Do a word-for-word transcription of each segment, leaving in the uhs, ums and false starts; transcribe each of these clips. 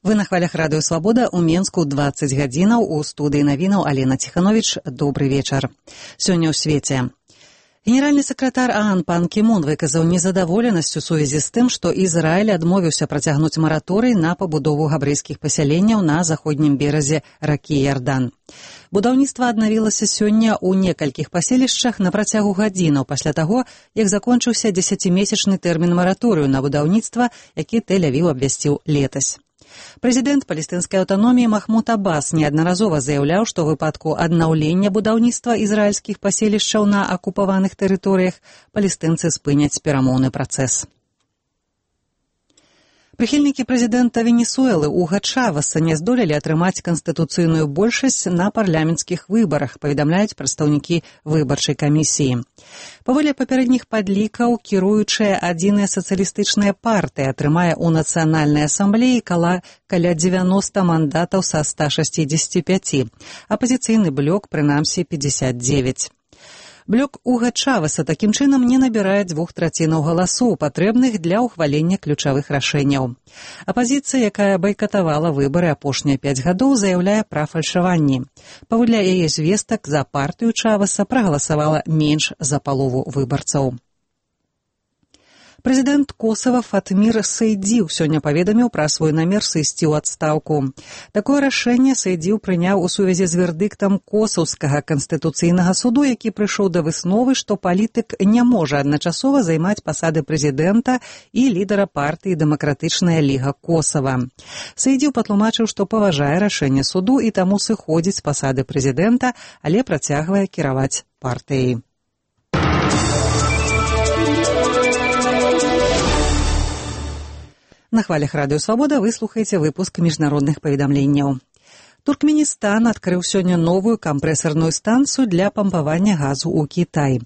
Вы на хвалях радыё «Свабода» ў Менску дваццаць гадзінаў. У студыі навінаў Алена Ціхановіч. Добры вечар. Сёння ў свеце. Генеральны сакратар ААН пан Кі Мун выказаў незадаволенасць у сувязі з тым, што Ізраіль адмовіўся працягнуць мараторый на пабудову габрэйскіх пасяленняў на заходнім беразе ракі Ярдан. Будаўніцтва аднавілася сёння ў некалькіх паселішчах на працягу гадзінаў пасля таго, як закончыўся дзесяцімесячны тэрмін мараторыю на будаўніцтва, які Тель-Авіў абвясціў летась. Прэзідэнт палестынскай аўтаноміі Махмуд Аббас неаднаразова заяўляў, што ў выпадку аднаўлення будаўніцтва ізраільскіх паселішчаў на акупаваных тэрыторыях палестынцы спыняць перамоўны працэс. Прыхільнікі прэзідэнта Венесуэлы Уга Чавеса не здолелі атрымаць канстытуцыйную большасць на парламенцкіх выбарах, паведамляюць прадстаўнікі выбарчай камісіі. Паводле папярэдніх падлікаў, кіруючая адзіная сацыялістычная партыя атрымае ў нацыянальнай асамблеі каля, каля дзевяноста мандатаў са ста шэсцідзесяці пяці, апазіцыйны блок прынамсі пятьдесят девять. Блок Уга Чавеса такім чынам не набірае двух трацінаў галасоў, патрэбных для ўхвалення ключавых рашэнняў. Апазіцыя, якая байкатавала выбары апошнія пяць гадоў, заяўляе пра фальшаванні. Паводле яе звестак, за партыю Чавеса прагаласавала менш за палову выбарцаў. Прэзідэнт Косава Фатмір Сейдзіў сёння паведаміў пра свой намер сысці ў адстаўку. Такое рашэнне Сейдзіў прыняў у сувязі з вердыктам Косаўскага канстытуцыйнага суду, які прыйшоў да высновы, што палітык не можа адначасова займаць пасады прэзідэнта і лідара партыі «Дэмакратычная ліга Косава». Сейдзіў патлумачыў, што паважае рашэнне суду і таму сыходзіць з пасады прэзідэнта, але працягвае кіраваць партыяй. На хвалях радыё «Свабода» вы слухаеце выпуск міжнародных паведамленняў. Туркменістан адкрыў сёння новую кампрэсарную станцыю для пампавання газу ў Кітай.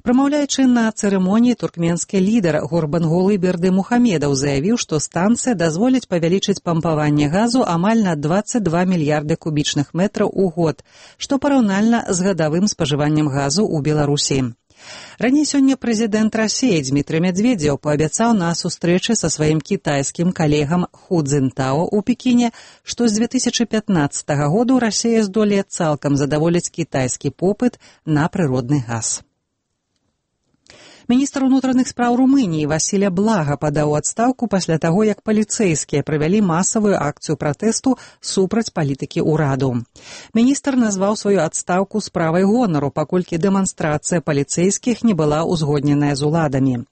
Прамаўляючы на цырымоніі, туркменскі лідар Гурбангулы Бердымухамедаў заявіў, што станцыя дазволіць павялічыць пампаванне газу амаль на дваццаць два мільярды кубічных метраў у год, што параўнальна з гадавым спажываннем газу ў Беларусі. Раней сёння прэзідэнт Расіі Дзмітрый Медведзеў паабяцаў на сустрэчы са сваім кітайскім калегам Ху Цзінтао ў Пекіне, што з две тысячы пятнаццатага году Расія здолее цалкам задаволіць кітайскі попыт на прыродны газ. Міністр унутраных спраў Румыніі Васіля Блага падаў у адстаўку пасля таго, як паліцэйскія правялі масавую акцыю пратэсту супраць палітыкі ўраду. Міністр назваў сваю адстаўку справай гонару, паколькі дэманстрацыя паліцэйскіх не была ўзгодненая з уладамі.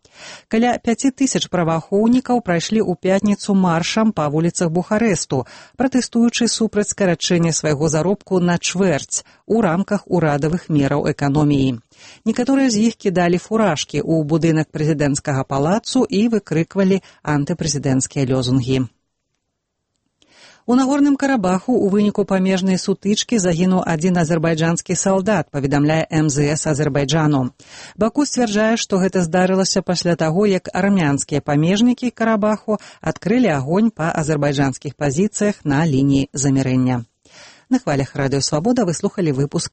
Каля пяці тысяч праваахоўнікаў прайшлі ў пятніцу маршам па вуліцах Бухарэсту, пратэстуючы супраць скарачэння свайго заробку на чвэрць у рамках урадавых мераў эканоміі. Некаторыя з іх кідалі фуражкі ў будынак прэзідэнцкага палацу і выкрыквалі антыпрэзідэнцкія лёзунгі. У Нагорным Карабаху ў выніку памежнай сутычкі загінуў адзін азербайджанскі салдат, паведамляе эм зэ эс Азербайджану. Баку сцвярджае, што гэта здарылася пасля таго, як армянскія памежнікі Карабаху адкрылі агонь па азербайджанскіх пазіцыях на лініі замірэння. На хвалях радыё «Свабода» вы слухалі выпуск